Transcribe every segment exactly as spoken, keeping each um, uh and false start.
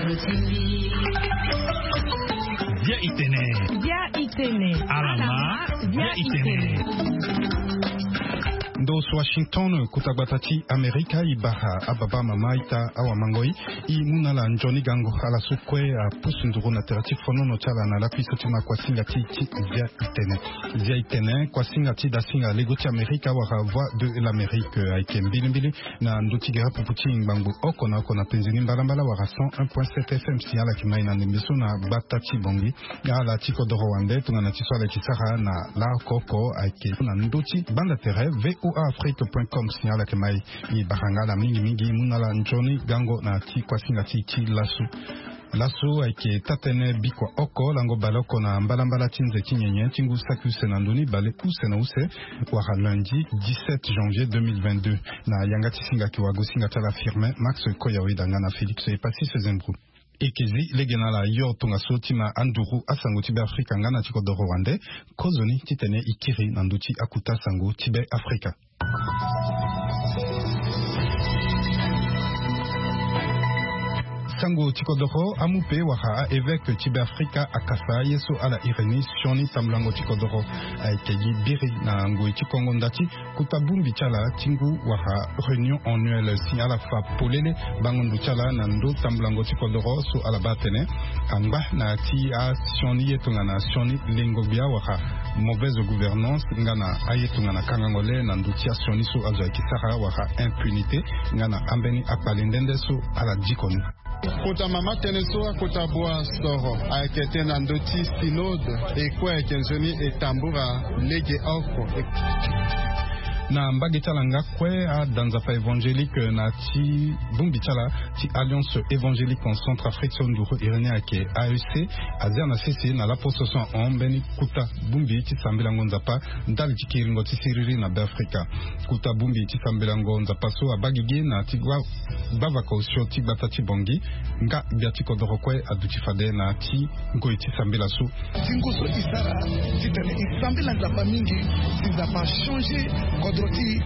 Bia itene. Bia itene. Alama. Bia itene. Ndo Washington, kota gbata ti Amerika, e bara ababa, amama, aita, awamangoi, e mu na ala nzoni gango. Ala so kue apusu nduru na tere ti fonono ti ala na lakui so ti ma kuasinga ti ti Bia itene. Bia itene, kuasinga ti dasinga lego ti Amerika wala Voix de l'Amérique, ayeke mbilimbili na ndö ti gere pupu ti ngbangbo oko na oko na penze ni mbalambala wala cent un point sept F M. Si ala yeke mai na ndembe so na gbata ti Bangui, ala ti kodoro wande, tongana ti so ala yeke sara na laoko oko, ayeke na ndö ti gbanda tere V O A Afrique point com. Si ala yeke mai, e bara nga ala mingi mingi, e mu na ala nzoni gango na ti kuasinga ti ti laso. Laso ayeke taa-tënë bikua oko lango baleoko na mbalambala ti nze ti nyenye ti ngu saki use na ndö ni, bale use na use, wala lundi dix-sept janvier deux mille vingt-deux. Na yanga ti singa yeke wago singa ti ala Firmin Max Koyawe, danga na Félix Epasis Zembrou. E yeke zi lege na ala yo tongaso ti ma anduru asango ti Be Afrika nga na ti kodoro wande, kozoni titene e kiri na ndö ti akuta sango ti Be Afrika. Sango ti kodoro, amupe wala a-évêque ti Be Afrika akasa ye so ala iri ni sioni tambulango ti kodoro. Ayeke gi biri na ngoi ti kongo nda ti kota bongbi ti ala ti ngu wala réunion annuelle. Si ala fa polele bango ndo ti ala na ndö tambulango ti kodoro so ala baa atene angba na ti asioni ye tongana sioni lengo-gbia wala mauvaise gouvernance nga na aye tongana kangango le na ndö ti asioni so azo ayeke sara wala impunité nga na ambeni akpale nde nde so ala diko ni. Kota mama tënë so akota bua soro ayeke tënë na ndö ti synode, e kue ayeke nzoni e tambura lege oko. Na mbage ti ala nga kue, ada nzapa évangélique na ti bongbi ti ala ti Alliance évangélique en Centrafrique so nduru iri ni ayeke A E C, azia na sese na laposo so ahon mbeni kota bongbi ti sambelango nzapa ndali ti kiringo ti siriri na Be Afrika. Kota bongbi ti sambelango nzapa so abaa gigi na ti gbavaka osio ti gbata ti Bangui, nga gbia ti kodoro kue aduti fade na ti ngoi ti sambela so. Ti ngu so e sara titene e sambela Nzapa mingi, si Nzapa achangé kodro ti e.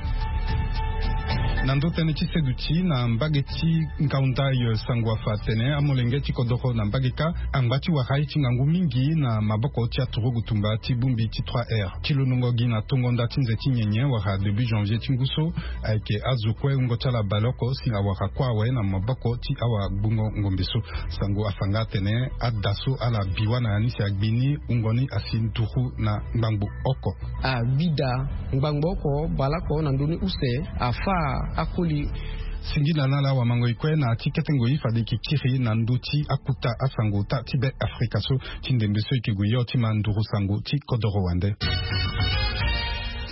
Na ndö tënë ti seduti, na mbage ti Ngaoundai, sango afa atene amolenge ti kodoro na mbage kâ angba ti wara ye ti ngangu mingi na maboko ti aturugu tumba ti bongbi ti trois R. Ti londongo gi na tongo nda ti nze ti nyenye wala début janvier ti ngu so, ayeke azo kue wungo ti ala baleoko si awara kue awe na maboko ti awagbungo ngombe so. Sango afa nga atene ada so ala bi wâ na ya ni si agbi ni, wungo ni asi nduru na ngbangbo oko. Agbi da ngbangbo oko baleoko na ndö ni use, afâ akoli. Singila na ala wamangoi kue na ti kete ngoi fade e yeke kiri na ndö ti akuta asango ota ti Be Afrika so ti ndembe so e yeke gue yo ti ma nduru sango ti kodoro wande.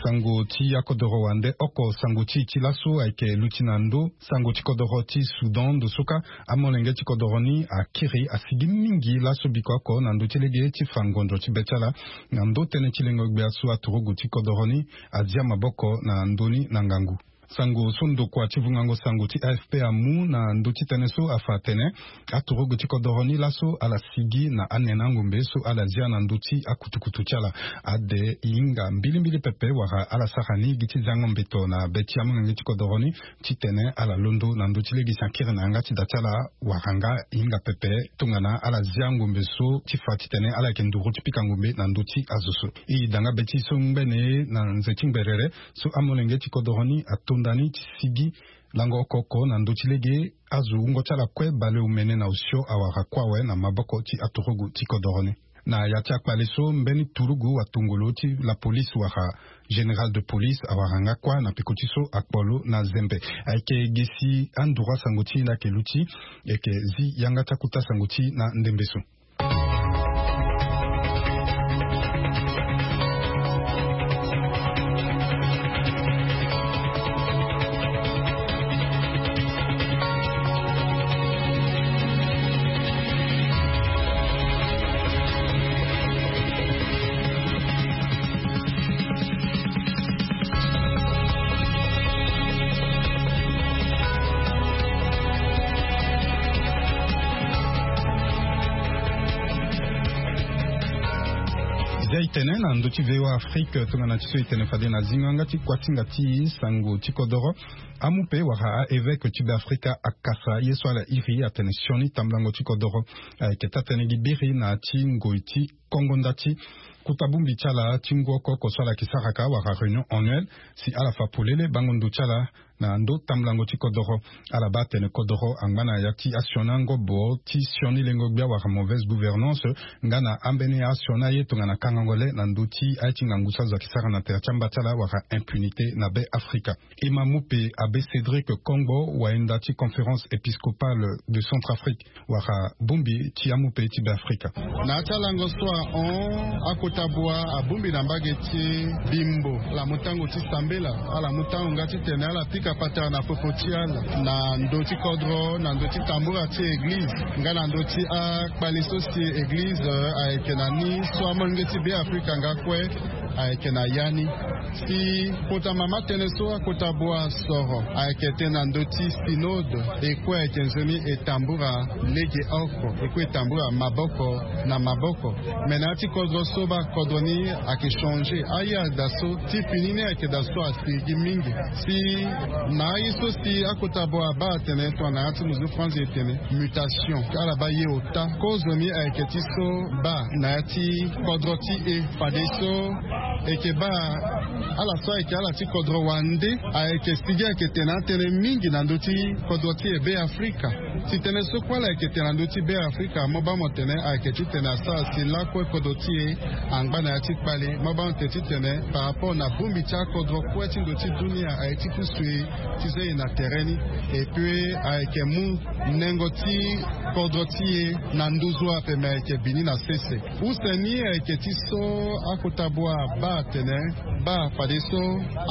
Sango ti akodoro wande oko, sango ti e ti laso ayeke luti na ndö sango ti kodoro ti Soudan. Ndo so kâ amolenge ti kodoro ni akiri asigi mingi laso bikua oko na ndö ti lege ti fa ngonzo ti be ti ala. Na ndö tënë ti lengo-gbia so aturugu ti kodoro ni azia maboko na ndö ni na ngangu. Sango so ndokua ti vungango sango ti A F P amu na ndö ti tënë so afa atene aturugu ti kodoro ni laso ala sigi na anene angombe so ala zia na ndö ti akutukutu ti ala. Ade e hinga mbilimbili pepe wala ala sara ni gi ti zango mbeto na be ti amolenge ti kodoro ni titene ala londo na ndö ti lege si akiri na yanga ti da ti ala wala nga e hinga pepe tongana ala zia ngombe so ti fa titene ala yeke nduru ti pika ngombe na ndö ti azo so. E da nga be ti e so ngbene na nze ti ngberere so amolenge ti kodoro ni atonda ni ti sigi lango oko oko na ndö ti lege azo wungo ti ala kue baleomene na osio awara kue awe na maboko ti aturugu ti kodoro ni. Na ya ti akpale so mbeni turugu watongolo ti la police wala général de police awara nga kue na peko ti so akpo lo na zembe. Ayeke gi si anduru asango ti e nda ayeke luti. E yeke zi yanga ti akuta sango ti e na ndembe so. Itene na ndö ti V O A Afrique tongana ti so itene fade na zingo yanga ti kuasinga ti sango ti kodoro, amu pe wala a-evêque ti Beafrika akasa ye so ala iri atene sioni tambulango ti kodoro. Ayeke taa-tënë gi biri na ti ngoi ti kongo nda ti kuta bongbi ti ala ti ngu oko oko so ala yeke sara ka wala réunion annuelle, si ala fa polele bango ndo ti ala na ndö tambulango ti kodoro. Ala baa atene kodoro angba na ya ti asioni angobo ti sioni lengo-gbia wala mauvaise gouvernance, nga na ambeni asioni aye tongana kangango le na ndö ti aye ti ngangu so azo ayeke sara na tere ti amba ti ala wala impunité na Beafrika. E ma mu pe abbé Cédric Kongbo, wayenda ti Conférence épiscopale de Centrafrique, wala bongbi ti amu pe ti Beafrika. Na ya ti alango so ahon, akota bua abongbi na mbage ti Bimbo, ala mu tango ti sambela, ala mu tango nga titene ala pika patara na popo ti ala na ndö ti kodro, na ndö ti tambura ti eglize, nga na ndö ti akpale so si eglize, eh, ayeke na ni so amolenge ti Beafrika nga kue ayeke na ya ni. Si kota mama tënë so akota bua soro ayeke tënë na ndö ti synode, e kue ayeke nzoni e tambura lege oko, e kue e tambura maboko na maboko. Me na ya ti kodro so baa kodro ni ayeke changer. Aye daa so, ti fini ni ayeke daa so asigi mingi. Si na aye so si akota bua abaa atene tongana ya ti muzu franzi e tene mutation, ala baa ye ota. Kozo ni ayeke ti so baa na ya ti kodro ti e, fadeso e yeke baa ala so ayeke ala ti kodro wande ayeke sigi ayeke tene atënë mingi na ndö ti kodro ti e Beafrika. Si tënë so kue ala yeke tene na ndö ti Beafrika, mo baa mo tene ayeke titene asara si lakue kodro ti e angba na ya ti kpale. Mo baa mo tene titene par rapport na bongbi ti akodro kue ti ndö ti dunia aye ti pusu e ti zia e na tere ni. Et puis ayeke mu nengo ti kodro ti e na nduzu ape, me ayeke bini na sese. Use ni ayeke ti so akota bua abaa atene, baa fadeso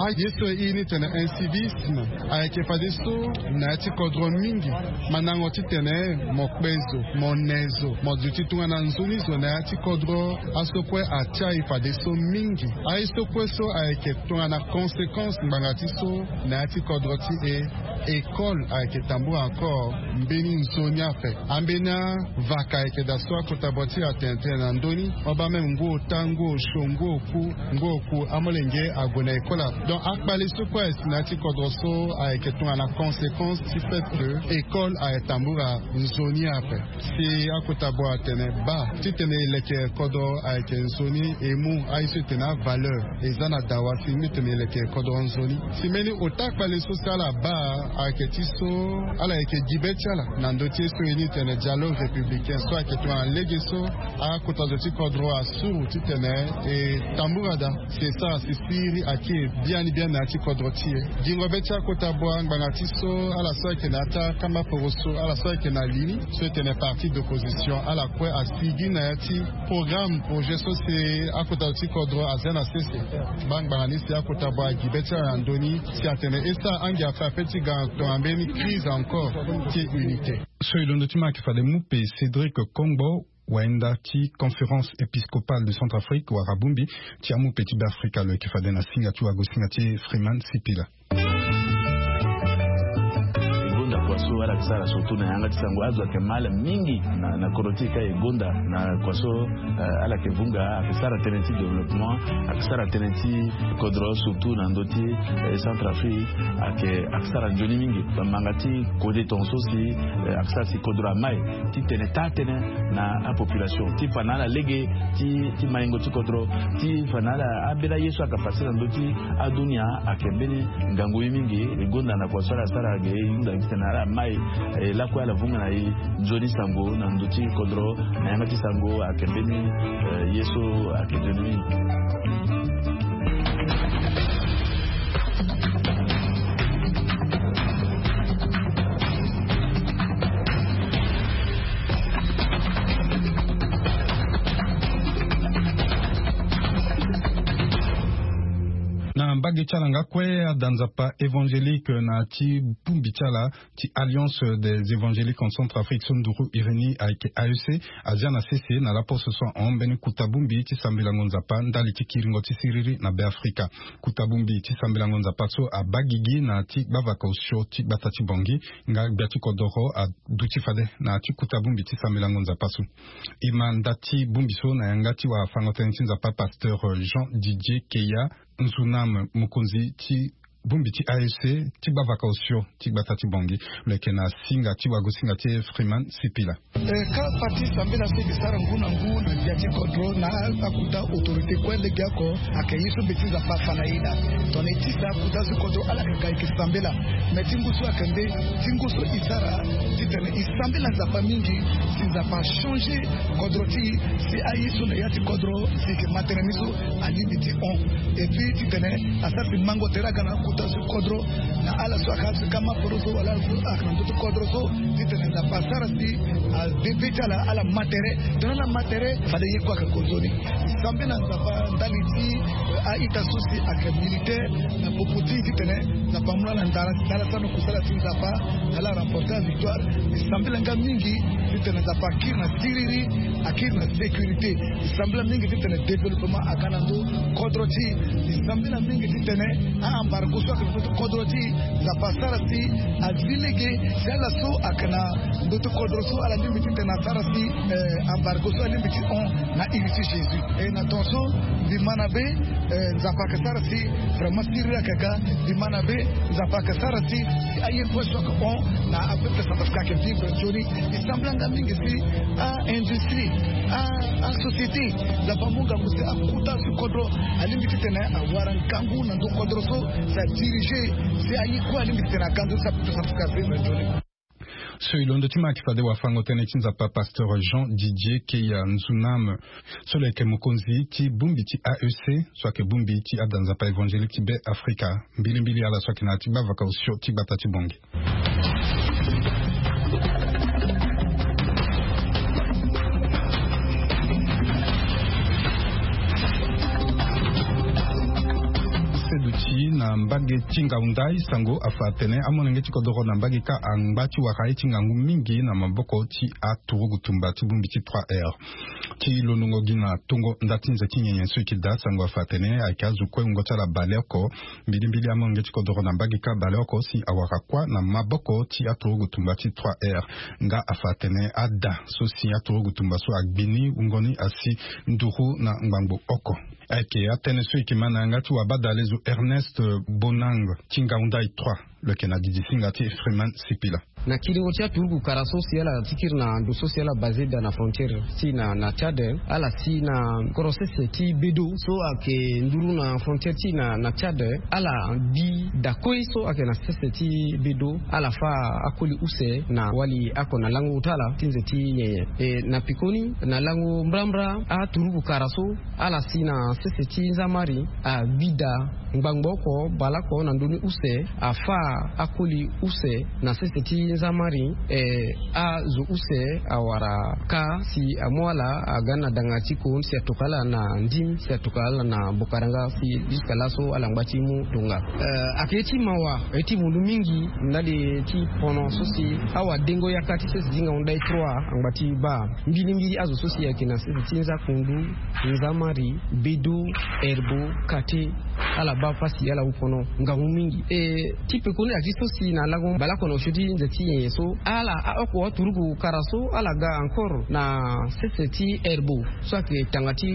aye so e iri ni tene incivisme ayeke fadeso na ya ti kodro mingi. Mandango titene mo kpe zo, mo ne zo, mo duti tongana nzoni zo na ya ti kodro, aso kue atia e fadeso mingi. Aye so kue so ayeke tongana conséquence ngbanga ti so na ya ti kodro ti e, école ayeke tambula encore mbeni nzoni ape. Ambeni avaka ayeke daa so akota bua ti atene tënë na ndö ni. Mo baa même ngu ota, ngu osio, ngu oku, ngu oku amolenge ague na école ape. Donc akpale so kue ayeke si na ya ti kodro so ayeke tongana conséquence ti fait que école ayeke tambula nzoni ape. Si akota bua atene baa titene e leke kodro ayeke nzoni, e mu aye so e tene avaleur, e za na dawa si mbeni tene e leke kodro nzoni. Si mbeni ota kpale so si ala baa ayeke ti so ala yeke gi be ti ala na ndö ti ye so e ni tene dialogue républicain so ayeke tongana lege so akota zo ti kodro asuru titene e tambula daa. Si e sara si siriri ayeke biani biani na ya ti kodro ti e. Gingo be ti akota bua ngbanga ti so ala so ayeke na ya ti akamba poroso, ala so ayeke na li ni so e tene parti d'opposition, ala kue asigi na ya ti programme, projet so si akota zo ti kodro azia na sese. Baa ngbanga ni si akota bua agi be ti ala na ndö ni si atene e sara angia ape ape ti ga tongana mbeni crise encore ti unité. So e londo ti ma ayeke fade mu pe Cédric Kongbo, wayenda ti Conférence épiscopale de Centrafrique wala bongbi ti amu pe ti Beafrika, lo yeke fade na singa ti wagosinga ti Freeman Sipila. E gonda kua so ala yeke sara surtout na yanga ti sango, azo ayeke mal mingi na, na kodro ti e ka e gonda na kua so, eh, ala yeke vunga, ayeke sara tënë ti développement, ayeke sara tënë ti kodro surtout na ndö ti, eh, Centrafrique, ayeke, ayeke sara nzoni mingi. Bamanga ti kode tongaso si, eh, ayeke sara si kodro amai ti tene taa-tënë na apopulation ti fa na ala lege ti, ti maingo ti kodro, ti fa na ala ambeni aye so ayeke pase na ndö ti adunia. Ayeke mbeni ngangu ye mingi. E gonda na kua so ala sara ge, e hunda gi titene ala mai, eh, lakue ala vunga na e nzoni sango na ndö ti kodro na yanga ti sango. Ayeke mbeni, eh, ye so ayeke nzoni mingi. Na Mbage ti ala nga kue, ada nzapa évangélique na ti bongbi ti ala ti Alliance des Évangéliques en Centrafrique so nduru iri ni ayeke A E C, azia na sese na laposo so ahon mbeni kota bongbi ti sambelango nzapa ndali ti kiringo ti siriri na Beafrika. Kota bongbi ti sambelango nzapa so abaa gigi na ti gbavaka osio ti gbata ti Bangui nga gbia ti kodoro aduti fade na ti kota bongbi ti sambelango nzapa so. E ma nda ti bongbi so na yanga ti wafango-tënë ti nzapa, pasteur Jean Didier Keya Nzunam, mokonzi ti bongbi ti A E C ti gbavaka osio ti gbata ti Bangui. Lo yeke na singa ti wagosinga ti Freeman Sipila. Eh, ka parti sambela so e ke sara ngu na ngu na ndia ti kodro na akota autorité kue legeoko, ayeke ye so be ti nzapa afa na e daa. Tongana e tisa akota so kodro ala yeke ga e ke sambela. Me ti ngu so ayeke nde ti ngu so e sara titene e sambela nzapa mingi, si nzapa achangé kodro ti e, si aye so na ya ti kodro si e ke ma tënë ni so alingbi ti hon. Et puis titene asara si mango tere aga na akota so kodro, na ala so ayeke azo ti kama poro so wala ala so ayeke na ndö ti kodro so, titene nzapa asara si abebe ti ala ala ma tere. Tongana ala ma tere, fade ye kue ayeke gonzo ni. E sambela nzapa ndali ti, eh, a-ita so si ayeke militaire na popo ti e titene nzapa amu na ala ndara ti ala sara na kusala ti nzapa, na ala remporter victoire. E sambela nga mingi titene nzapa akiri na siriri, akiri na sécurité. E sambela mingi titene développement aga na ndö kodro ti e. E sambela mingi titene a-embargo so ayeke na ndö ti kodro ti e, nzapa asara si azi lege, si ala so ayeke na ndö ti kodro so ala lingbi titene asara si, eh, embargo so alingbi ti hon na iri ti Jésus. E na ton so mbi ma na be, eh, nzapa ayeke sara si vraiment siriri ayeke ga. Mbi ma na be, nzapa ayeke sara si, si aye kue so ayeke hon na apeuple centrafricain ayeke vivre nzoni. E sambela nga mingi si a-industrie, a, asociété, nzapa amu ngangu si akota so kodro alingbi titene awara ngangu na ndö kodro so, si adirigé, si aye kue alingbi titene aga ndö so apeuple centrafricain avivre nzoni. So e londo ti ma ayeke fade wafango-tënë ti nzapa, pasteur Jean Didier Keya Nzunam, so lo yeke mokonzi ti bongbi ti A E C, so ayeke bongbi ti ada nzapa évangélique ti Beafrika. Mbilimbili ala so ayeke na ya ti gbavaka osio ti gbata ti Bangui. Seduti na mbage ti ngaunda, sango afa atene amolenge ti kodoro na mbage kâ angba ti wara ye ti ngangu mingi na maboko ti aturugu tumba ti bongbi ti trois R. Ti londongo gi na tongo nda ti nze ti nyenye so e ke daa, sango afa atene ayeke azo kue wungo ti ala baleoko. Mbilimbili amolenge ti kodoro na mbage kâ baleoko si awara kuâ na maboko ti aturugu tumba ti trois R. Nga afa atene ada so si aturugu tumba so agbi ni wungo ni asi nduru na ngbangbo oko. Ayeke atënë so e ke ma na yanga ti wabadale zo Ernest Bonang ti ngaunda trois. Lo yeke na didi singa ti Freeman Sipila. Na kiringo ti aturugu kara so si ala ti kiri na ndo so si ala basé daa na frontière ti na, na Tchad, ala si na koro sese ti Bedo so ayeke nduru na frontière ti na, na Tchad, ala bi da kue so ayeke na sese ti Bedo, ala fâ akoli use na wali oko na lango ota ala ti nze ti nyenye. E na pekoni na lango mbrambra aturugu kara so ala si na sese ti nzamari agbi da ngbangbo oko baleoko na ndö ni use, afâ akoli use na sese ti nzamari. E azo use awara kâ si amu ala aga na danga ti kon si atokua ala na ndim si atokua ala na bokaranga si jusqu'à laso ala ngba ti mu tonga. E ayeke ye ti mawa, ye ti vundu mingi ndali ti pono so si awadengo yaka ti sese ti ngaunda trois angba ti baa. Mbilimbili azo so si ayeke na sese ti nzakundu, nzamari, bedo, herbo, kate, ala baa pasi, ala wu pono ngangu mingi. E ti pekoni ayeke ti so si na lango baleoko na osio ti nze ti nyenye so, ala aoko aturugu kara so ala ga encore na sese ti herbo so ayeke tanga ti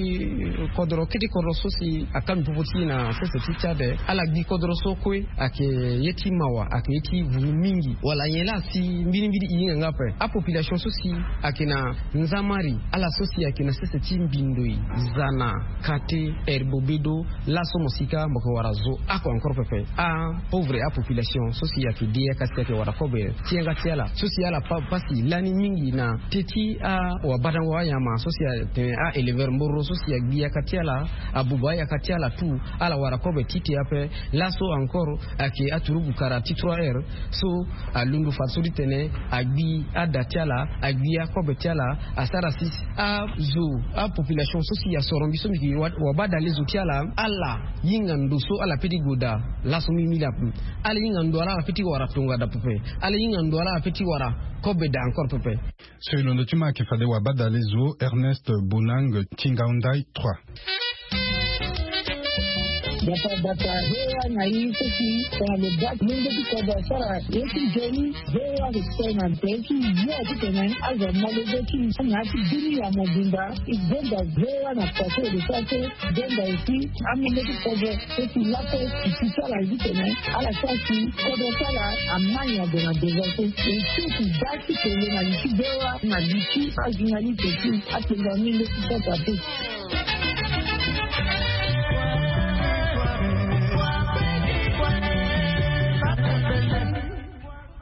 kodoro, kete kodoro so si akanu popo ti e na sese ti Tchad. Ala gbi kodoro so kue, ayeke ye ti mawa, ayeke ye ti vundu mingi. Wala nyen laa si mbilimbili e hinga nga ape? Apopulation so si ayeke na nzamari, ala so si ayeke na sese ti mbindoi, zana, kate, herbo, bedo, laso mo si kâ mo yeke wara zo oko encore pepe. Apauvre apopulation so si ayeke de yaka si ayeke wara kobe ti yanga ti ala so si ala pa, pasi lani mingi na teti awabadango anyama so si atene a-éleveur mboro so si agbi yaka ti ala, abuba ayaka ti ala tout, ala wara kobe ti te ape. Laso encore ayeke aturugu kara ti trois R so alondo fadeso ti tene agbi ada ti ala, agbi akobe ti ala, asara si azo, apopulation so si asoro mbi so mbi yeke wa, wabadale zo ti ala, ala hinga ndo So ala feti goda laso mimili ape. Ala hinga ndo ala ala feti wara tonga da pepe. Ala hinga ndo ala ala feti wara kobe da encore pepe. So e londo ti ma ayeke fade wabadale zo Ernest Bonang ti ngaundai trois. Bata bata hewa na i seki tongana lo bati mende ti kodo asara ye ti joni. Hewa ke tena nte ti yo ti tene azo malogo ti na ti bini ya mobimba. I donda hewa na pase de sa so donda esi amende ti kodo seki lape ti sara ye ti tene ala sara si kodo sara amani ado na deza so. Esi ti da ti tene na li ti hewa na li ti ajournaliste ti atenda mende ti pota te.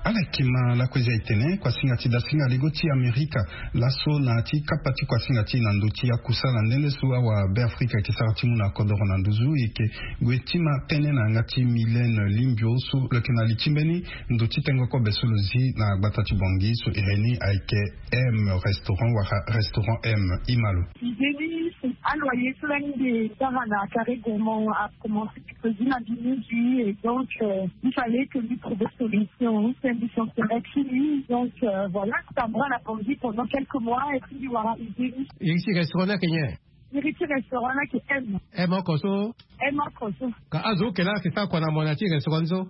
Ala yeke ma lakue zia etene kuasinga ti dasinga lego ti Amerika laso na ti kapa ti kuasinga ti na ndö ti akusala nde nde so awa Beafrika ayeke sara ti mu na kodoro na nduzu e yeke gue ti ma tënë na yanga ti Mylène Limbio so lo yeke na li ti mbeni ndö ti tengo kobe so lo zi na gbata ti Bangui so iri ni ayeke M restaurant wala restaurant M. I ma lo. Idée ni, aloyer so lani mbi sara na Carré Gourmand a commencé. Président du Midi, et donc, euh, il fallait que lui trouve solution. C'est une mission qui lui. Donc, euh, voilà, c'est un bras la Bangui pendant quelques mois et puis il aura idée. Iri ti restaurant ni ayeke nyen? Iri ti restaurant ni ayeke M. M oko so? M oko so. Ka azo oke laa ayeke sara kua na mo na ti restaurant ni so?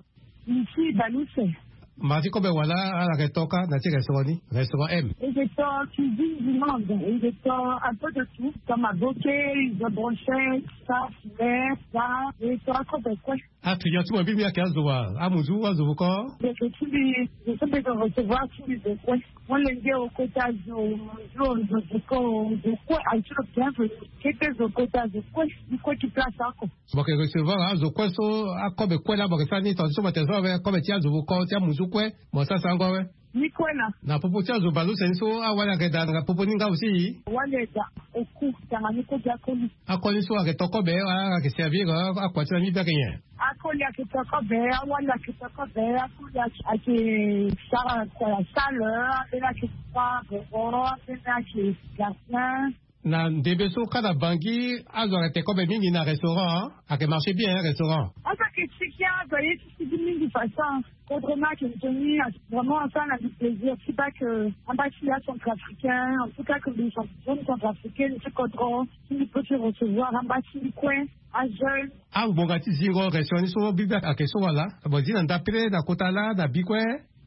Ici, Balouse. Ma ti kobe wala ala yeke to kâ na ti restaurant ni, restaurant M? E yeke to cuisine du monde, e yeke to un peu de tout, comme aboke, izo, brochette, ça, filet, ça, e to akobe kue. Aclient ti mo mbi mbi ayeke azo wa, amuzu, azo vuko? Ndeke ti mbi, zo so mbi yeke recevoir ti mbi zo kue. Molenge o kota zo, zo, zo vuko, zo kue aye ti lo bienvenu. Kete zo kota zo kue, mbi kue ti place oko. Mo yeke recevoir azo kue so, akobe kue laa mo yeke sara ni tonga ti so mo tene so awe kobe ti azo vuko ti amuzu kue, mo sara sarango awe? Ni kue laa. Na popo ti azo baleuse ni so awali ayeke daa na popo ni nga aussi? Awali aye daa oku tanga ni kue gi akoli. Akoli so ayeke to kobe wala ayeke servir akua ti na mbi mbi ayeke nyen? Akoli ayeke to kobe, awali ayeke to kobe, akoli ayeke sara kua ya salle, ambeni ayeke sara boboro, ambeni ayeke gardien. Na ndembe so kâ na Bangui azo ayeke te kobe mingi na restaurant, ayeke marché bien restaurant? Azo ayeke ti gi azo aye ti sigi mingi façon. Kodro ni ayeke nzoni, vraiment asara na mbi plaisir ti baa ke amba ti ya centrafricain, en tout cas ke mbi jeune centrafricaine ti kodro ti mbi peut ti recevoir amba ti mbi kue ajeune. Angbonga ti zingo restaurant ni so bibe ayeke so wala? Mo zi na ndapere na kota laa na bi kue?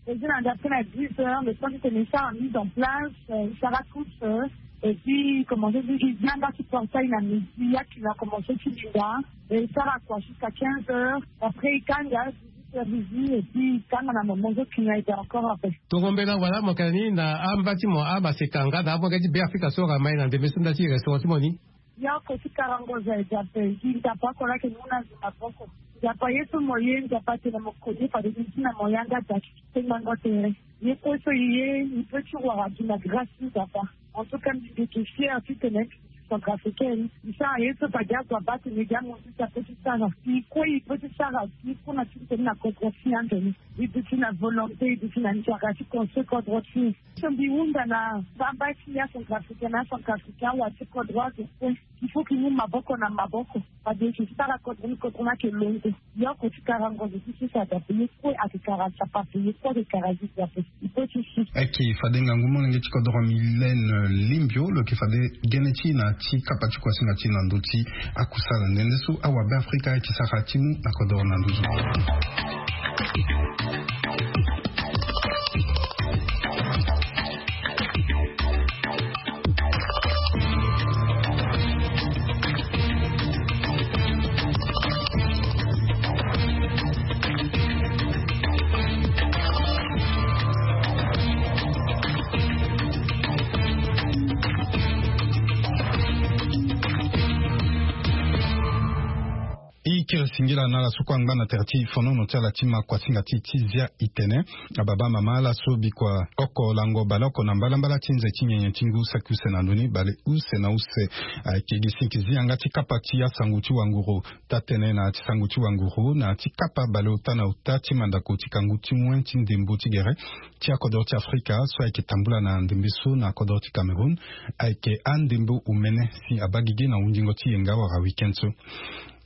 E zi na ndapere na dix heures, le temps ti tene e sara mise en place, e sara toute, e puis commencé ti zi anga ti portail na midi, akili akomense ti linda, e sara kua jusqu'à quinze heures, après e kanga dix-huit heures midi, et puis e kanga na moment so client ayeke encore ape. Tongo mbela wala mo yeke na ni na amba ti mo amaseka nga na amolenge ti Beafrika so ayeke mai na ndembe so nda ti restaurant ti mo ni? Yoko ti karango za e dape gi nzapa oko laa yeke mu na zo maboko. Nzapa ye so mo ye nzapa atene mo koni fade ni ti na mo yanga daki ti tengbango tere. Ye kue so e ye e peut ti wara gi na grâce ti nzapa. En tout cas mbi mbi yeke fier ti tene centrafricaine. Mbi sara ye so fade azo abaa tene gi amosi ti ape ti sara e kue e peut ti sara e kue na ti tene na kodro ti e ande ni. E duti na volonté e duti na nzara ti construire kodro ti e. So mbi hunda na bamba ti ya centrafricain na centrafricain awa ti kodro azo kue. Il faut ki mu maboko na maboko. Fade ki sara kodro ni kodro ni ayeke longo. Yoko ti karango zo ti sisa dape ye kue ayeke kara nzapa ape ye kue ayeke kara zizi ape. Il faut ti si. Ayeke fade ngangu molenge ti kodro Mylène Limbio lo yeke fade gene ti na ti kapa ti kuasinga ti na ndö ti akusala nde nde so awa Beafrika ayeke sara ti mu na kodro na nduzu. E kiri singila na ala so kue angba na tere ti fonono ti ala ti ma kuasinga ti ti zia itene. Ababa mama ala so bikua oko lango baleoko na mbalambala ti nze ti nyenye ti ngu saki use na ndoni bale use na use. Ayeke gi sinki zi yanga ti kapa ti asango ti wanguru taa-tënë na ti sango ti wanguru na ti kapa baleota na ota ti mandako ti kangu ti moin ti ndembo ti gere ti akodro ti Afrika so ayeke tambula na ndembe so na kodro ti Cameroun. Ayeke andembo omene si abaa gigi na hundingo ti yenga wala week-end so.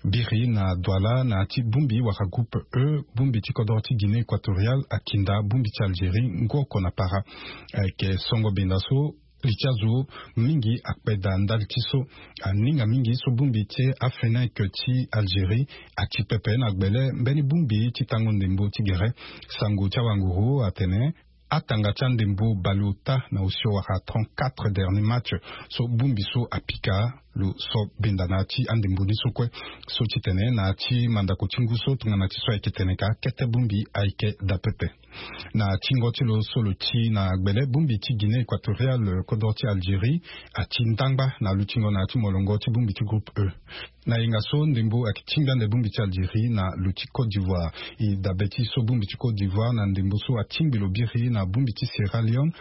Biri na Douala na ya ti bongbi wala groupe E, bongbi ti kodoro ti Guinée Équatoriale akinda bongbi ti Algérie ngu oko na para. Ayeke songo benda so li ti azo mingi akpeda ndali ti so. Aninga mingi so bongbi ti Afenec ti Algérie ati pepe na gbele mbeni bongbi ti tango ndembo ti gere. Sango ti awanguru atene atanga ti andembo baleota na osio wala trente-quatre dernier match so bongbi so apika lo so benda na ya ti andembo ni so kue. So titene na ya ti mandako ti ngu so tongana ti so ayeke tene ka kete bongbi ayeke daa pepe. Na tingo ti lo so lo ti na gbele bongbi ti Guinée Équatoriale kodoro ti Algérie ati ndangba na lutingo na ya ti molongo ti bongbi ti groupe E. Na yenga so ndembo ayeke tingbi ande bongbi ti Algérie na lo ti Côte d'Ivoire. E dabe ti so bongbi ti Côte d'Ivoire na ndembo so atingbi lo biri na bongbi ti Sierra Leone,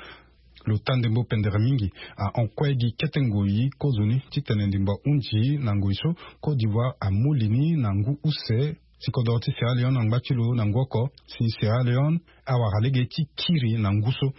lo taa ndembo pendere mingi. Ahon kue gi kete ngoi kozoni titene ndembo ahunzi na ngoi so Côte d'Ivoire amu li ni na ngu use ti kodoro ti Sierra Leone angba ti lo na ngu oko si Sierra Leone awara lege ti kiri na ngu so.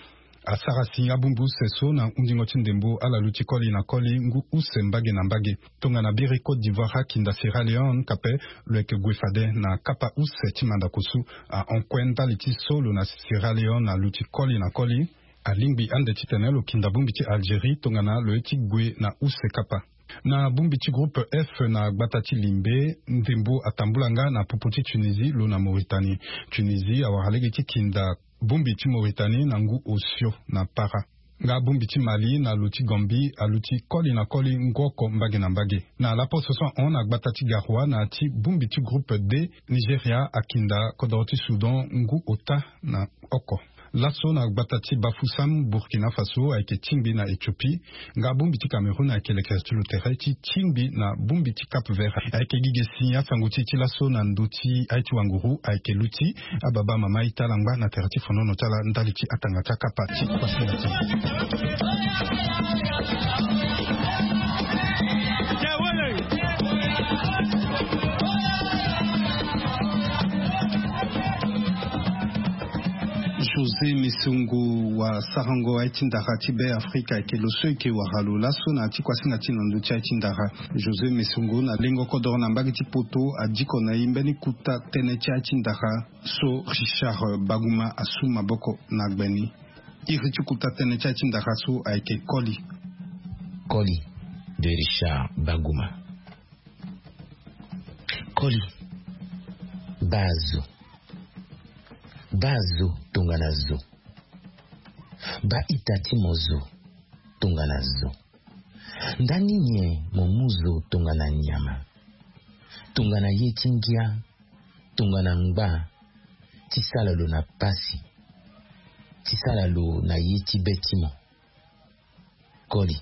Asara si abongbi use so na hundingo ti ndembo ala luti koli na koli ngu use mbage na mbage. Tongana biri Côte d'Ivoire akinda Sierra Leone kape lo yeke gue fade na kapa use ti mandako so. Ahon kue ndali ti so lo na Sierra Leone aluti koli na koli. Alingbi ande titene lo kinda bongbi ti Algérie tongana lo ye ti gue na use kapa. Na bongbi ti groupe F na gbata ti limbe, ndembo atambula nga na popo ti Tunisie lo na Mauritanie. Tunisie awara lege ti kinda bongbi ti Mauritanie na ngu osio na para. Nga bongbi ti Mali na lo ti Gambie aluti koli na koli ngu oko mbage na mbage. Na laposo so ahon na gbata ti Garoua na ya ti bongbi ti groupe D, Nigeria akinda kodoro ti Soudan ngu ota na oko. Laso na gbata ti Bafoussam, Burkina Faso ayeke tingbi na Éthiopie. Nga bongbi ti Cameroun ayeke lekere ti lo tere ti tingbi na bongbi ti Cap Vert. Ayeke gi ge si asango ti e ti laso na ndö ti aye ti wanguru ayeke luti. Ababa mama ita ala ngba na tere ti fonono ti ala ndali ti atanga ti akapa ti kuasinga ti. José Mesongo wasarango aye ti ndara ti Be Afrika ayeke lo so eke wara lo laso na ya ti kuasinga ti na ndö ti aye ti ndara. José Mesongo na lengo kodoro na mbage ti poto adiko na e mbeni kuta tënë ti aye ti ndara so Richard Baguma asu maboko na gbe ni. Iri ti kuta tënë ti aye ti ndara so ayeke koli. Koli de Richard Baguma. Koli. Baa zo. Baa zo tongana zo. Baa ita ti mo zo tongana zo. Ndani nyen mo mu zo tongana nyama? Tongana ye ti ngia, tongana ngba, ti sala lo na pasi, ti sala lo na ye ti be ti mo. Koli.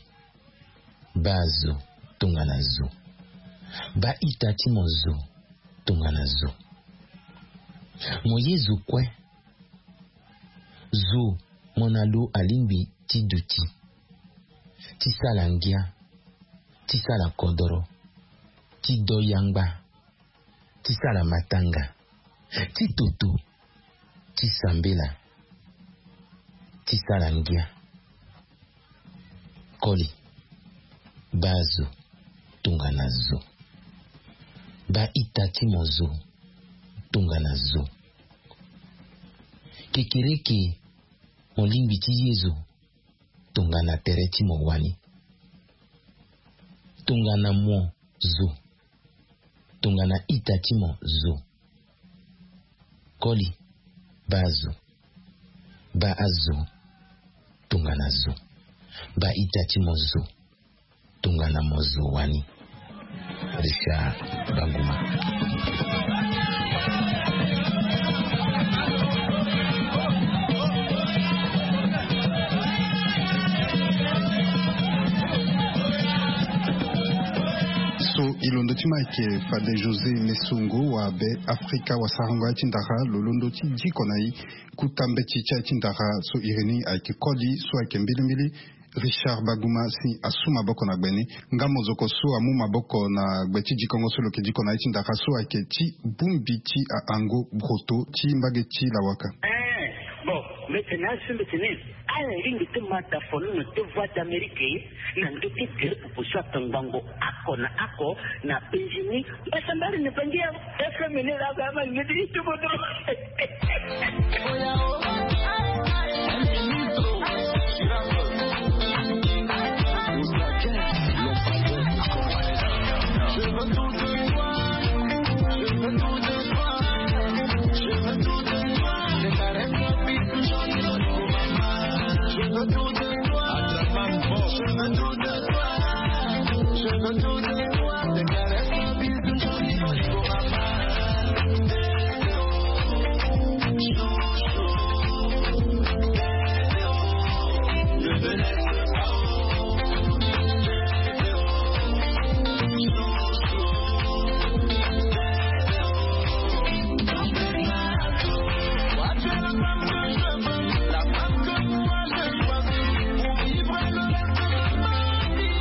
Baa zo tongana zo. Baa ita ti mo zo tongana zo. Mo ye zo kue. Zo mo na lo alingbi ti duti, ti sala ngia, ti sala kodoro, ti do yangba, ti sala matanga, ti toto, ti sambela, ti sala ngia. Koli. Baa zo tongana zo. Baa ita ti mo zo tongana zo. Kekereke mo lingbi ti ye zo tongana tere ti mo wani. Tongana mo zo. Tongana ita ti mo zo. Koli. Baa zo. Baa azo tongana zo. Baa ita ti mo zo tongana mo zo wani. Richard Baguma. So e londo ti ma ayeke fade José Mesongo wa Be Afrika wasarango aye ti ndara lo londo ti diko na e. Kuta mbeti ti aye ti ndara so iri ni ayeke koli so ayeke mbilimbili. Richard Baguma si asu maboko na gbe ni. Nga mozoko so amu maboko na gbe ti dikongo so lo yeke diko na aye ti ndara so ayeke ti bongbi ti ahango broto ti mbage ti lawaka. Eh, bon. Mbete na asu mbete ni. Ala lingbi ti ma da folono ti Voix d'Amérique na ndö ti tere pupu so atongbango oko na oko na penzi ni. Mbasambari na bangi ya F M ni la ga ma ngedi ti bodo.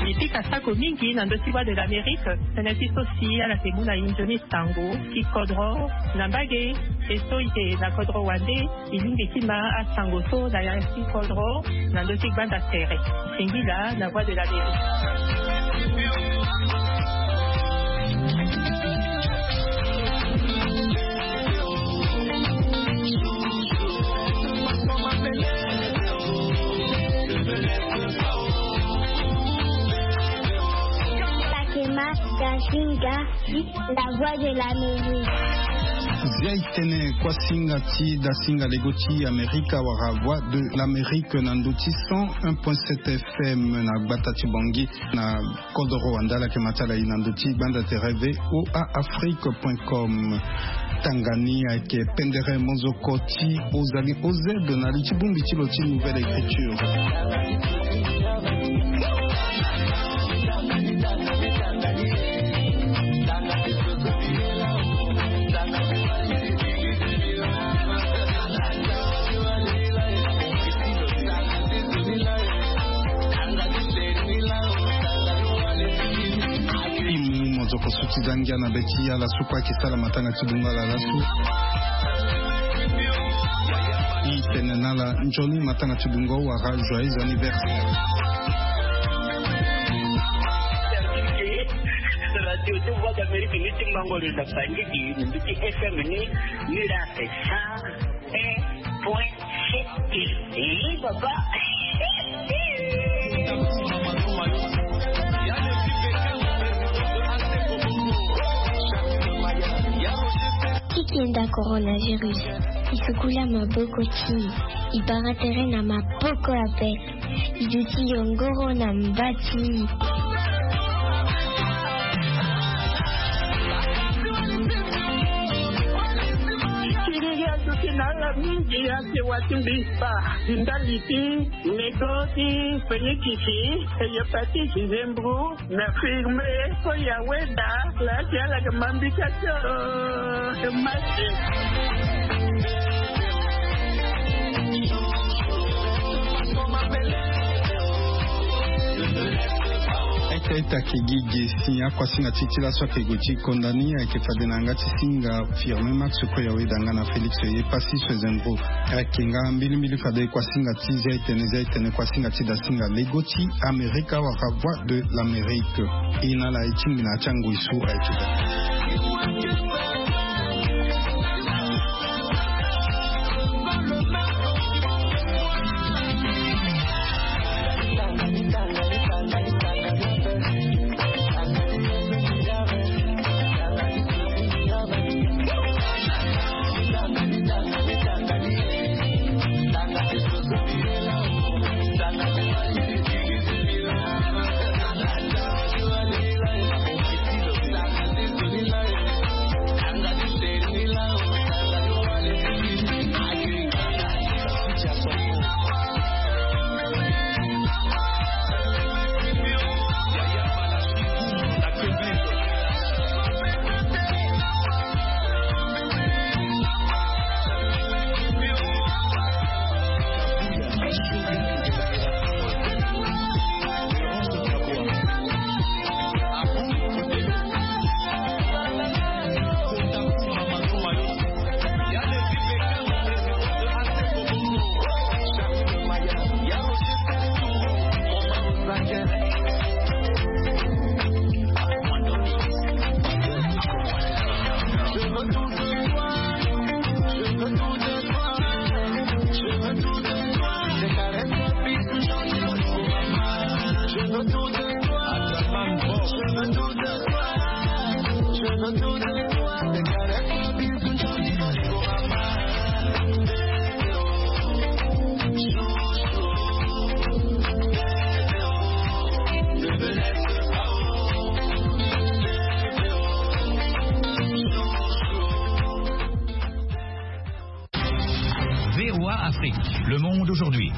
Mbi pika sako mingi na ndö ti Voix de l'Amérique. Tënë ti so si ala yeke mu na e nzoni sango ti kodro na mbage. E so e yeke na kodro wande, e lingbi ti ma asango so na ya ti kodro na ndö ti gbanda tere. Singila na Voix de l'Amérique. Fatima Gazinga, La Voix de l'Amérique. Zia e tene kuasinga ti dasinga lego ti Amerika wala Voix de l'Amérique na ndö ti cent un point sept F M na gbata ti Bangui na kodro wande. Ala yeke ma ti ala e na ndö ti gbanda tere V O A Afrique point com. Tanga ni ayeke pendere mozoko ti Ozali O Z na li ti bongbi ti lo ti Nouvelle Écriture. Ti mu mozoko so ti za ngia na be ti ala so kue ayeke sara matanga ti bungo ala laso. E tene na ala nzoni matanga ti bungo wala joyeux anniversaire. Radio ti Voix d'Amérique ni ti mango lo na Bangui, ni ti F M ni, ni la sa un point sept. Eh, papa. Tiki enda coronavirus. E sukula maboko ti e. E bara tere na maboko ape. E duti yongoro na mba ti e. Kiriri aduti na ala mingi ake wa ti mbi spa. Ndali ti nego ti fenikisi, hepatite, zembro, na firme, so ya weda, la ti ala yeke ma mbi ka ti o. Masi. Ita ita ke gi ge si akuasinga ti ti laso ayeke gue ti konda ni ayeke fade na yanga ti singa Firmin Max, kue ya weda nga na Félix Yepasi so ezembro. Ayeke nga mbilimbili fade kuasinga ti zia etene, zia etene kuasinga ti dasinga lego ti Amerika wala Voix de l'Amérique. E na ala e tingbi na ya ti angoi so ayeke daa. V O A Afrique, le monde aujourd'hui.